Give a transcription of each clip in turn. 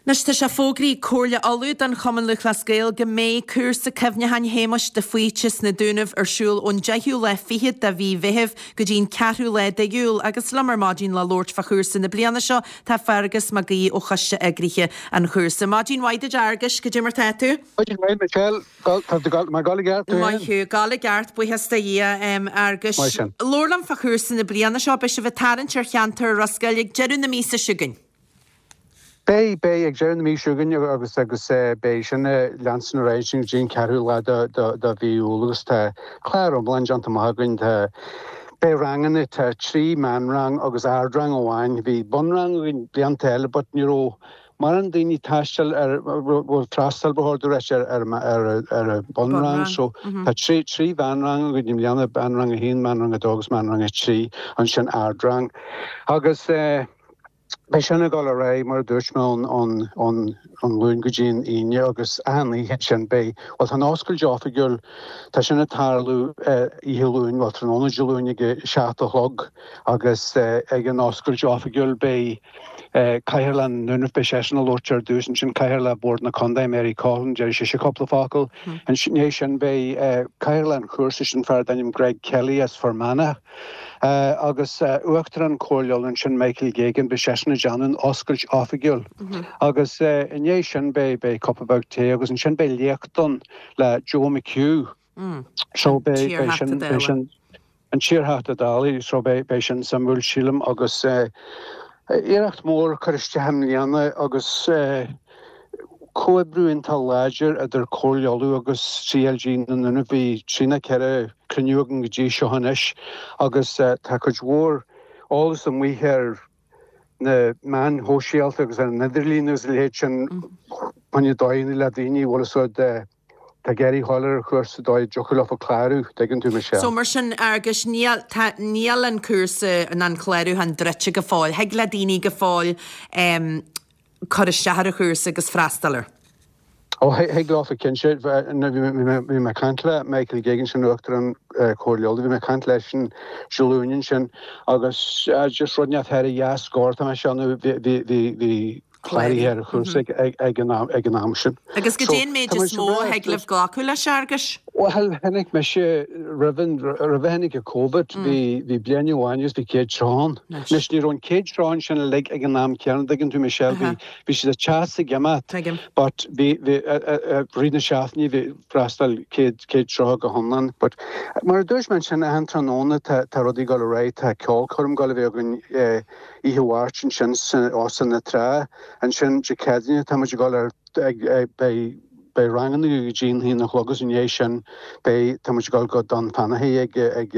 Anois tá sé fógraithe ag Comhairle Uladh don Chumann Lúthchleas Gael go mbeidh cúrsa cuimhneacháin Shéamuis de Faoite sna Dúnaibh ar siúl ón deichiú lá fichead de mhí Mheithimh go dtí an ceathrú lá d'Iúil agus liom ar maidin le labhairt fá chúrsa na bliana seo tá Feargus Mac Aoidh ó choiste eagraithe an chúrsa. Maidin mhaith duit a Fhearghuis, cad é mar tá tú? Maidin mhaith Michelle, tá tú ag gabháil i gceart tú féin? Maith thú, ag gabháil i gceart, buíochas do Dhia, a Fhearghuis. Maith sin. Labhair liom fá chúrsa na bliana seo, beidh sibh ag tarraingt ar cheantar Ros Goill ag deireadh na míosa seo chugainn. Beidh, beidh, ag deireadh na míosa seo chugainn agus agus beidh sin ag leanstan ar aghaidh go dtí an ceathrú lá de de de mhí Iúil agus tá clár iomlán déanta amach againn. Tá, beidh ranganna, tá trí meánrang agus ardrang amháin. Bhí bunrang againn blianta eile but ní raibh mórán daoine ag taisteal ar, bhuel freastal ba chóir domh a ráit ar ar ar ar an bunrang so tá trí trí mheánrang againn i mbliana, meánrang a haon, meánrang a dó agus meánrang a trí, ansin ardrang. Agus eh. Beidh sin ag dul ar aghaidh, mar a dúirt mé, ón Luan go dtí an Aoine agus achan oíche ansin beidh, bhuel tá an oscailt oifigiúil, tá sin ag tarlú oíche Luain, bhuel tráthnóna Dé Luain ag a seacht a chlog agus ag an oscailt oifigiúil beidh Cathaoirleach na nDúnaibh, beidh seisean ag labhairt ar dtús, ansin Cathaoirleach Bhord na Contae, Mary Coughlan, déarfaidh sise cúpla focal. I ndiaidh sin beidh Cathaoirleach an chúrsa, sin fear darb ainm Greg Kelly as Fear Manach. Agus Uachtarán Chomhairle Uladh ansin, Michael Geoghegan, beidh seisean ag déanamh an oscailt oifigiúil. Agus i ndiaidh sin beidh beidh cupa beag tae agus ansin beidh léacht ann le Joe McHugh. So beidh beidh sin beidh sin an t-iarTheachta Dála so beidh beidh sin suimiúil sílim agus iarracht mór curtha isteach i mbliana agus comhoibriú iontach láidir idir Comhairle Uladh agus CLG na nDúnaibh. Bhí trí nó ceithre cruinniú againn go dtí seo anois agus tá cuid mhór eolas amuigh ar na meáin shóisialta agus ar an idirlíon agus a leithéid sin fá choinne dóigheanna le daoine a bhfuil fhios agat atá ag iarraidh dhul ar an chúrsa dóigh a dtiocfadh leofa clárú, tuigeann tú, Michelle. So mar sin, a Fhearghuis, níl, tá, níl an cúrsa ná an clárúchán druidte go fóill. Thig le daoine go fóill cur isteach ar an chúrsa agus freastal air. Ó, thig leofa cinnte. Bhí mé ag caint le Michael Geoghegan, sin Uachtarán Chomhairle Uladh, bhí mé ag caint leisean Dé Luain ansin agus just rud inteacht thar a dhá scór tá mé ag déanamh, bhí cláraithe ar an chúrsa ag an am sin. Agus goidé an méid is mó a thig libh glacadh leis, a Fhearghuis? Bhuel, chonaic mise roimh an, roimh a tháinig an Covid, bhí, bhí bliain amháin agus bhí 130 ann. Anois, ní raibh an 130 sin uilig ag an am céanna, an dtuigeann tú, Michelle, bhí, bhí siad ag teacht is ag imeacht. Tuigim. But bhí, bhí, i rith na seachtaine bhí freastal 100, 130 go hiomlán. But mar a dúirt mé ansin, achan tráthnóna tá, tá rudaí ag dul ar aghaidh, tá ceolchoirm ag dul a bheith againn oíche Mháirt ansin san Óstán na Trá. Ansin Dé Céadaoine tá muid ag dul ar, ag, beidh, Beidh ranganna go dtí an haon a chlog agus i ndiaidh sin beidh, tá muid ag dul go Dunfanaghy ag, ag,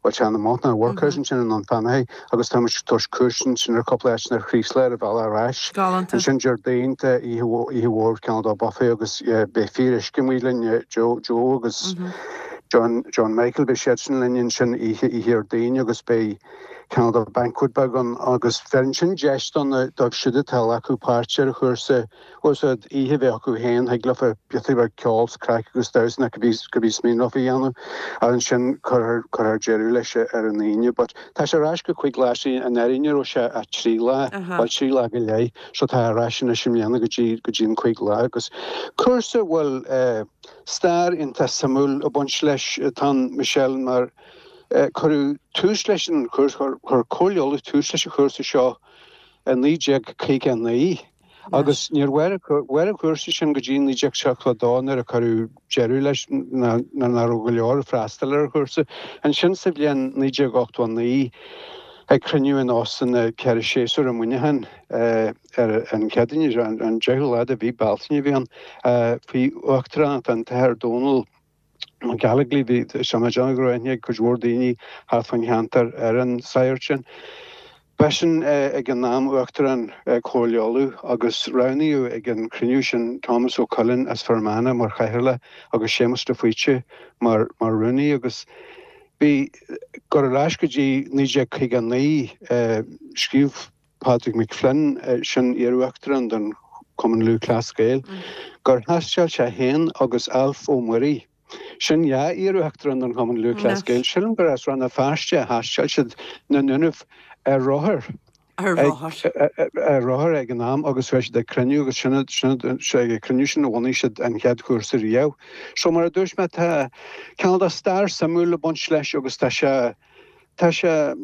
bhuel sea, an Mount na Workhouse ansin i nDunfanaghy agus tá muid ag tabhairt cuairt ansin ar cúpla áiteanna ar Chraoslaigh ar an bhealach ar ais. Galánta. Ansin Déardaoin tá oíche, oíche mhór cineál de buffet agus beidh Fíoruisce amuigh linn, Joe, Joe agus John, John Michael, beidh siadsan linn ansin oíche, oíche Dhéardaoin agus beidh cineál de banquet beag ann agus bheireann sin deis do na, dóibh siúd atá ag glacadh páirt ar an chúrsa Bhuel sea, oíche a bheith acu féin, thig leofa piotaí beag ceoil 's craic agus damhsa nó cibé, cibé is mian leofa a dhéanamh agus ansin cuirfear, cuirfear deireadh leis ar an Aoine. But tá sé ar ais go cuig lá, see anuraidh ní raibh sé ach trí lá, bhuel trí lá go leith, so tá ar ais anois i mbliana go dtí, go dtí an cuig lá agus cúrsa a bhfuil eh stair iontach suimiúil ag baint leis atá ann Michelle mar eh cuireadh tús leis an chúrsa, chuir Comhairle Uladh tús leis an chúrsa seo i 1959. Agus níor mhair an cúrsa sin go dtí 1972 nuair a cuireadh deireadh leis nuair nach raibh go leor ag freastal ar an chúrsa. Ansin sa bhliain 1989 ag cruinniú in Óstán na Ceithre Séasúr i Muineachán ar an Chéadaoine, an 10ú lá de mhí Bealtaine a bhí ann, faoi uachtaránacht an tAthair Dónal, Mac Gallogly, bhí sé ag déanamh go raibh aithne ag cuid mhór daoine thart fán cheantar ar an sagart sin. B'eisean ag an am Uachtarán Chomhairle Uladh agus roghnaíodh ag an chruinniú sin Tomás Ó Coileáin as Fear Manach mar chathaoirleach agus Séamus de Faoite mar rúnaí agus bhí gur ar ais go dtí 1959 scríobh Padraig McFlynn, sin iar-uachtarán den Chumann Lúthchleas Gael, gur thaisteal sé féin agus Alf Ó Muirí, sin dhá iar-uachtarán den Chumann Lúthchleas Gael, sílim gur as Rann na Feirste a thaisteal siad na Dúnaibh ar rothar. Ar rothar. Ar rothar ag an am agus bhí siad ag cruinniú agus sin ag an cruinniú sin a bhunaigh siad an chéad chúrsa riamh. So mar a dúirt mé tá cineál de stair suimiúil ag baint leis agus tá sé, tá sé,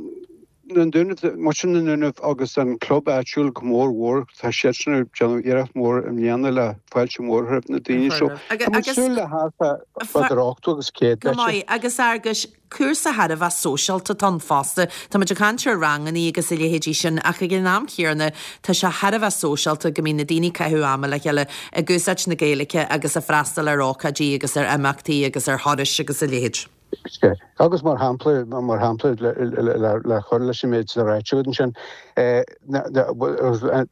na Dúnaibh, muintir na nDúnaibh agus an club áitiúil go mór mhór, tá siadsan ag déanamh iarracht mhór i mbliana le fáilte mhór a chur roimh na daoine. So tá muid ag súil le thart idir 80 agus 100 Go maith, agus Fhearghuis, cúrsa thar a bheith sóisialta atá ann fosta. Tá muid ag caint ar rangannaí agus a leithéidí sin ach ag an am chéanna tá sé thar a bheith sóisialta go mbíonn na daoine ag caitheamh ama le chéile ag úsáid na Gaeilge agus ag freastal ar ócáidí agus ar imeachtaí agus ar thurais agus a leithéid. Sea. Agus mar shampla, mar shampla le cur leis an méid atá ráite agat ansin,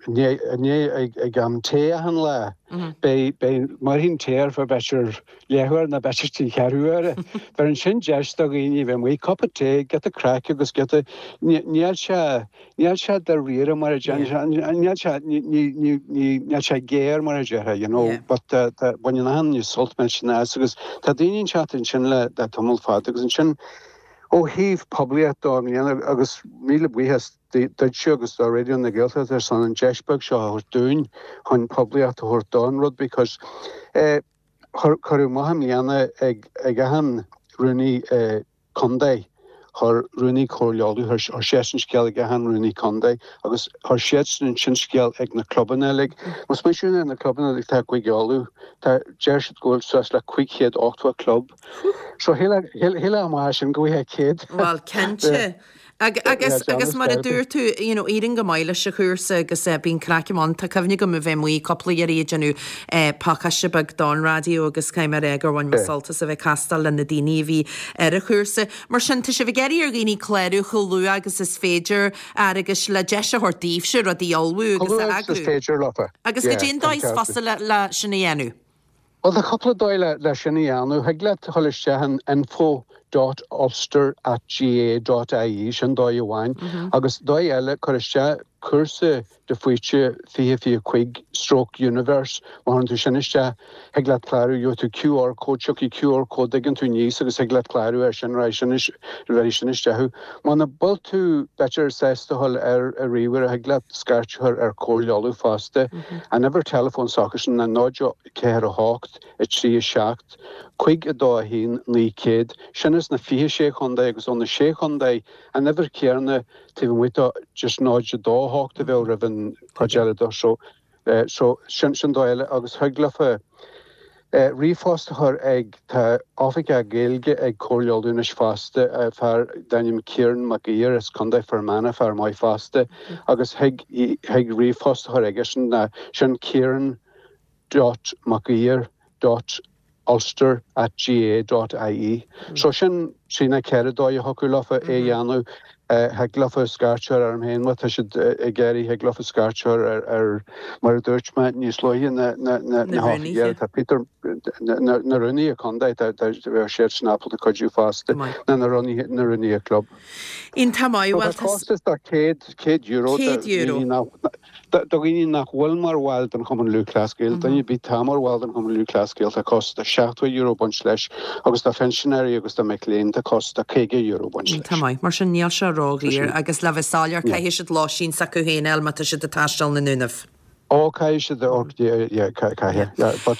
inné ag am tae achan lá, beidh, beidh, mairfidh an tae ar feadh b'fhéidir leathuair nó b'fhéidir trí cheathrú uaire. Bheireann sin deis do dhaoine a bheith amuigh, cupa tae, giota craic agus giota, níl sé, níl sé dáiríre mar a déarfá, níl sé, níl sé géar mar a déarfá, you know, but tá, baineann achan duine sult millteanach as agus tá daoine ag teacht ansin le tamall fada agus ansin ó thaobh poiblíocht dó i mbliana agus míle buíochas duitse agus do Raidió na Gaeltachta ar son an deis beag seo a thabhairt dúinn chun poiblíocht a thabhairt don rud because eh cuireadh amach i mbliana ag achan rúnaí contae. Chuir rúnaí Comhairle Uladh, chuir seisean scéal ag achan rúnaí contae agus chuir siadsan ansin scéal ag na clubanna uilig. Más maith ar na clubanna uilig atá i gCúige Uladh, tá, deir siad go bhfuil suas le 580 club. So shílfeá amach as sin go bhfaighfeá 100. Bhuel, cinnte. Agus, agus mar a dúirt tú, you know, éiríonn go maith leis an chúrsa agus bíonn craic ann. Tá cuimhne agam a bheith amuigh cúpla iarraidh ag déanamh pacáiste beag don raidió agus caithfidh mé a rá gur bhain mé sult as a bheith ag castáil le na daoine a bhí ar an chúrsa. Mar sin, tá sibh ag iarraidh ar dhaoine clárú chomh luath agus is féidir, Fhearghuis, le deis a thabhairt daoibhse rudaí a ullmhú agus a eagrú. Chomh luath agus is féidir leofa. Agus goidé an dóigh is fusa le sin a dhéanamh. Bhuel, tá cúpla dóigh le sin a dhéanamh. Thig leat a dhul isteach in info dot ulster at gaa dot ie, sin dóigh amháin. Agus dóigh eile, cuir isteach cúrsa de Faoite 2025 stroke universe, má chuireann tú sin isteach, thig leat clárú, gheobhaidh tú QR code, tiocfaidh QR code, dtuigeann tú aníos agus thig leat clárú air sin, raghaidh sin, bheirfidh sin isteach thú. Muna bhfuil tú, b'fhéidir, sásta a dhul ar ríomhaire, thig leat scairt a chur ar Comhairle Uladh fosta. An uimhir teileafóin s'acusan ná 0, 4, 8, 3, 7, 5, 2, 1, 900. Sin as na 26 chontae agus ó na sé chontae, an uimhir chéanna taobh amuigh de just 0, 2, 8 a bheadh roimh an chuid eile de. So, So, sin, sin dóigh eile agus thig leofa ríomhphost a chur ag, tá oifigeach Gaeilge ag Comhairle Uladh anois fosta, fear d'ainm Ciarán Mac Uidhir as Contae Fear Manach, fear maith fosta, agus thig, thig ríomhphost a chur aigesean ná sin Ciarán dot Mac Uidhir dot ulster at gaa dot ie. So sin trí nó ceithre dóigh a thiocfadh leofa é a dhéanamh. Thig leofa scairt a chur orm féin má tá siad ag iarraidh, thig leofa scairt a chur ar, ar, mar a dúirt mé níos luaithe, na, na, na, na hoifigigh, tá Peter, na, na rúnaithe contae, tá, tá, bheadh siadsan ábalta cuidiú fosta, nó na rúnaithe, na rúnaithe club. Iontach maith, bhuel tá. Tá costas de €100, €100. Nach, Do dhaoine nach bhfuil mar bhaill den Chumann Lúthchleas Gael, duine ar bith atá mar bhall den Chumann Lúthchleas Gael, tá costas de €70 ag baint leis agus do phinsinéirí agus do mic léinn tá costas de €50 ag baint leis. Tá maith. Mar sin níl sé ródhaor agus le bheith soiléir caithfidh siad lóistín s'acu féin a fháil má tá siad ag taisteal na nDúnaibh. Ó caithfidh siad, ó yeah caithfidh yeah but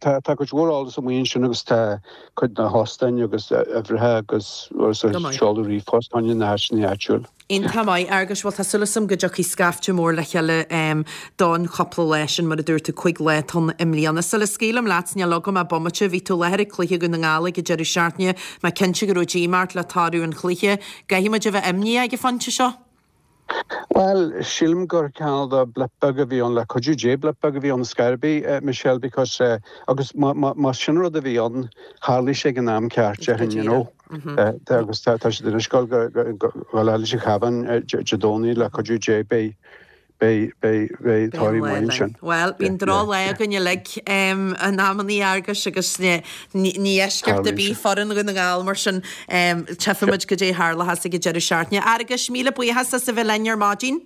tá cuid mhór eolas amuigh ansin agus tá cuid de na hóstáin agus uimhreacha agus seoladh ríomhphost fá choinne na háiteanna áitiúil. Iontach maith, Fhearghuis. Bhuel, tá súil agam go dtiocfaidh scaifte mór le chéile don chúpla lá sin, mar a dúirt tú, 5 lá atá ann i mbliana. Sula scaoilim leat, níl agam ach bomaite, bhí tú i láthair ag cluiche Dhún na nGall ag an deireadh seachtaine, mé cinnte go raibh díomá ort le toradh an chluiche. An gcaithfidh muid a bheith imníoch ag an phointe seo? Bhuel, sílim gur cineál de blip beag a bhí ann, le cuidiú Dé blip beag a bhí ann scor ar bith, Michelle, because, agus má sin rud a bhí ann, tharlaigh sé ag an am ceart, déarfainn, you know. Agus tá siad anois ag dul go leis an Chabhán Dé Domhnaigh le cuidiú Dé beidh beidh beidh beidh toradh maith ansin. Bhuel, bíonn drochlá againn uilig in amannaí, a Fhearghuis, agus ní eisceacht ar bith foireann Dhún na nGall mar sin tchífimid goidé a tharlóchas ag an deireadh seachtaine. A Fhearghuis, míle buíochas as a bheith linn ar maidin.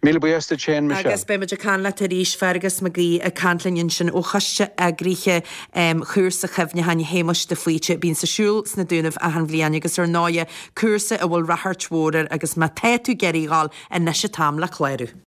Míle buíochas duit féin, Michelle. Agus beidh muid ag caint leat arís, Fergus Mac Aoidh ag caint linn ansin ó Choiste Eagraithe Chúrsa Chuimhneacháin Shéamuis de Faoite, a bíonns ar siúl sna Dúnaibh achan bhliain agus ar ndóighe cúrsa a bhfuil ráchairt mhór air agus má tá tú ag iarraidh a dhul, anois an t-am le clárú.